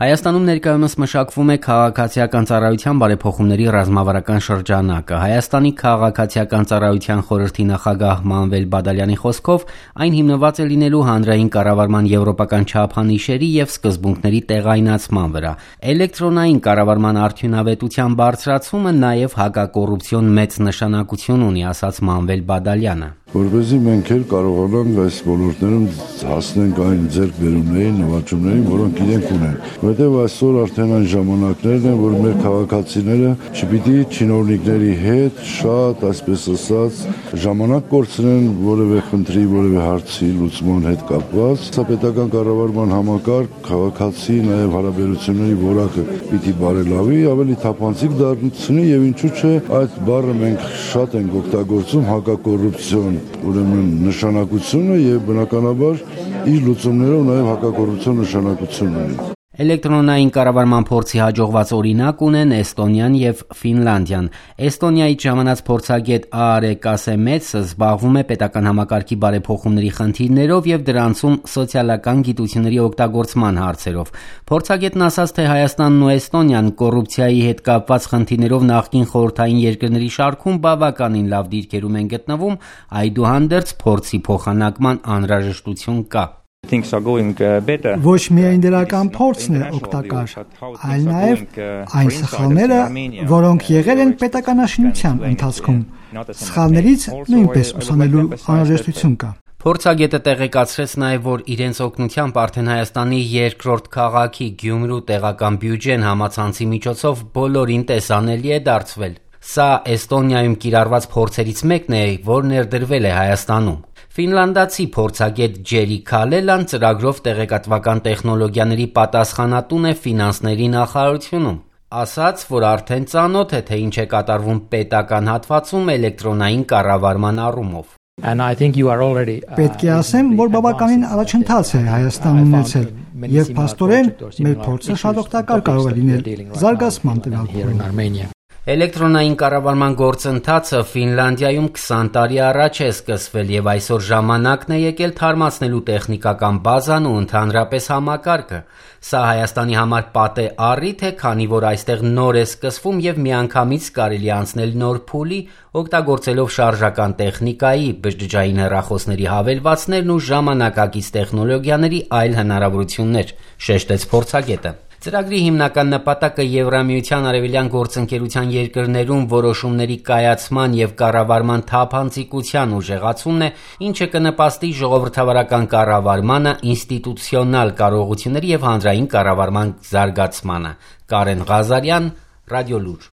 Հայաստանում ներկայումս մշակվում է քաղաքացիական ծառայության բարեփոխումների ռազմավարական շրջանակը։ Հայաստանի քաղաքացիական ծառայության խորհրդի նախագահ Մանվել Բադալյանի խոսքով այն հիմնված է լինելու հանրային կառավարման եվրոպական չափանիշերի եւ սկզբունքների տեղայնացման վրա։ Էլեկտրոնային կառավարման արդյունավետության բարձրացումը նաեւ հակակոռուպցիոն մեծ նշանակություն ունի, ասաց Մանվել Բադալյանը։ Որպեսզի մենք էլ կարողանանք այս ոլորտներում հասնենք այն ձեռքբերումներին, նվաճումներին, որոնք իրենք ունեն։ Որտեղ այսօր արդեն այն ժամանակներն են, որ մեր քաղաքացիները չպիտի չինովնիկների հետ շատ, այսպես ասած, ժամանակ կորցնեն որևէ խնդրի, որևէ հարցի լուծման հետ կապված։ Սա պետական կառավարման համակարգ, քաղաքացի, նաև հարաբերությունների որակը պիտի բարելավի, ավելի թափանցիկ դառնի եւ ինչու՞ չէ, այդ բառը մենք շատ ենք օգտագործում հակակոռուպցիոն ուրեմն նշանակությունը եւ բնականաբար իր լուծումներով նաեւ հակակոռուպցիոն նշանակություն ունի։ Էլեկտրոնային կառավարման փորձի հաջողված օրինակ ունեն Էստոնիան եւ Ֆինլանդիան։ Էստոնիայից ժամանած փորձագետ Աարե Կասեմեցը զբաղվում է պետական համակարգի բարեփոխումների խնդիրներով եւ դրանցում սոցիալական գիտությունների օգտագործման հարցերով։ Փորձագետն ասաց, թե Հայաստանն ու Էստոնիան կոռուպցիայի հետ կապված խնդիրներով նախկին խորհրդային երկրների շարքում բավականին լավ դիրքերում են գտնվում, այդուհանդերձ փորձի փոխանակման անհրաժեշտություն կա։ Ոչ միայն դրական փորձն է օգտակար, այլ նաև այն սխալները, որոնք եղել են պետականաշինության ընթացքում։ Սխալներից նույնպես ուսանելու անհրաժեշտություն կա։ Փորձագետը տեղեկացրեց նաև, որ իրենց օգնությամբ արդեն Հայաստանի երկրորդ քաղաքի Գյումրու տեղական բյուջեն համացանցի միջոցով բոլորին տեսանելի է դարձվել։ Սա Էստոնիայում կիրառված փորձերից մեկն է, որ ներդրվել է Հայաստանում։ Ֆինլանդացի փորձագետ Ջերի Քալելան ծրագրով տեղեկատվական տեխնոլոգիաների պատասխանատուն է ֆինանսների նախարարությունում։ Ասաց, որ արդեն ծանոթ է, թե ինչ է կատարվում պետական հատվածում էլեկտրոնային կառավարման առումով։ Պետք է ասեմ, որ բավականին առաջընթաց է Հայաստանն ունեցել, եւ փաստորեն մեր փորձը շատ օգտակար կարող է լինել զարգացման տվյալ։ Էլեկտրոնային կառավարման գործընթացը Ֆինլանդիայում 20 տարի առաջ է սկսվել եւ այսօր ժամանակն է եկել թարմացնելու տեխնիկական բազան ու ընդհանրապես համակարգը։ Սա Հայաստանի համար պատե առիթ է, քանի որ այստեղ նոր է սկսվում եւ միանգամից կարելի անցնել նոր փուլի, օգտագործելով շարժական տեխնիկայի, բջջային հեռախոսների հավելվածներն ու ժամանակակից տեխնոլոգիաների այլ հնարավորություններ, շեշտեց փորձագետը։ Ծրագրի հիմնական նպատակը Եվրամիության արևելյան գործընկերության երկրներում որոշումների կայացման եւ կառավարման թափանցիկության ուժեղացումն է, ինչը կնպաստի ժողովրդավարական կառավարմանը, ինստիտուցիոնալ կարողությունների եւ հանրային կառավարման զարգացմանը։ Կարեն Ղազարյան, Ռադիոլուր։